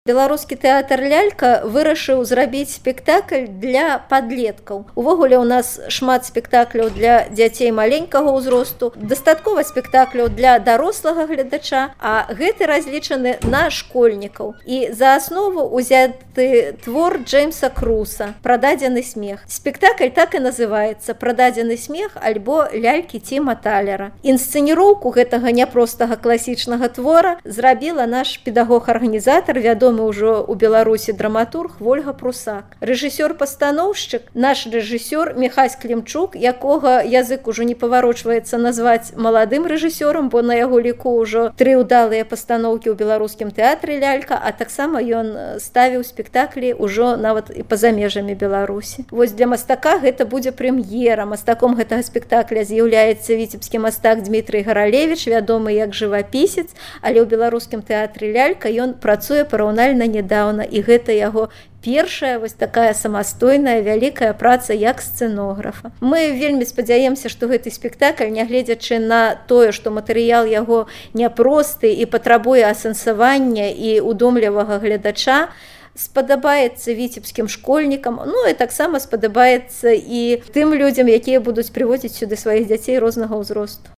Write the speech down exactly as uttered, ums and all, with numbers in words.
Беларускі тэатр лялька вырашыў зрабіць спектакль для падлеткаў. Увогуле у нас шмат спектакляў для дзяцей маленькага ўзросту, дастаткова спектакляў для дарослага гледача, а гэты разлічаны на школьнікаў. І за аснову узяты твор Джеймса Круса «Прададзены смех». Спектакль так і называецца «Прададзены смех» альбо «Лялькі Тіма Талера». Інсцэніроўку гэтага няпростага класічнага твора зрабіла наш педагог-арганізатар, вядомы ўжо ў Беларусі драматург Вольга Прусак. Рэжысёр-пастаноўшчык, наш рэжысёр Міхась Клімчук, якога язык ужо не паварочваецца назваць маладым рэжысёрам, бо на яго ліку ўжо тры ўдалыя пастаноўкі ў беларускім тэатры лялька, а таксама ён ставіў спектаклі ўжо нават і па-за межамі Беларусі. Вось для мастака гэта будзе прэм'ера. Мастаком гэтага спектакля з'яўляецца віцебскі мастак Дмітрый Гаралевіч, вядомы як жывапісец, але ў беларускім тэатры лялька ён працуе параўнальна нядаўна, і гэта яго першая вось такая самастойная вялікая праца як сцэнографа. Мы вельмі спадзяемся, што гэты спектакль, нягледзячы на тое, што матэрыял яго няпросты і патрабуе асэнсавання і удомлівага гледача, спадабаецца віцебскім школьнікам, ну і таксама спадабаецца і тым людзям, якія будуць прыводзіць сюды сваіх дзяцей рознага ўзросту.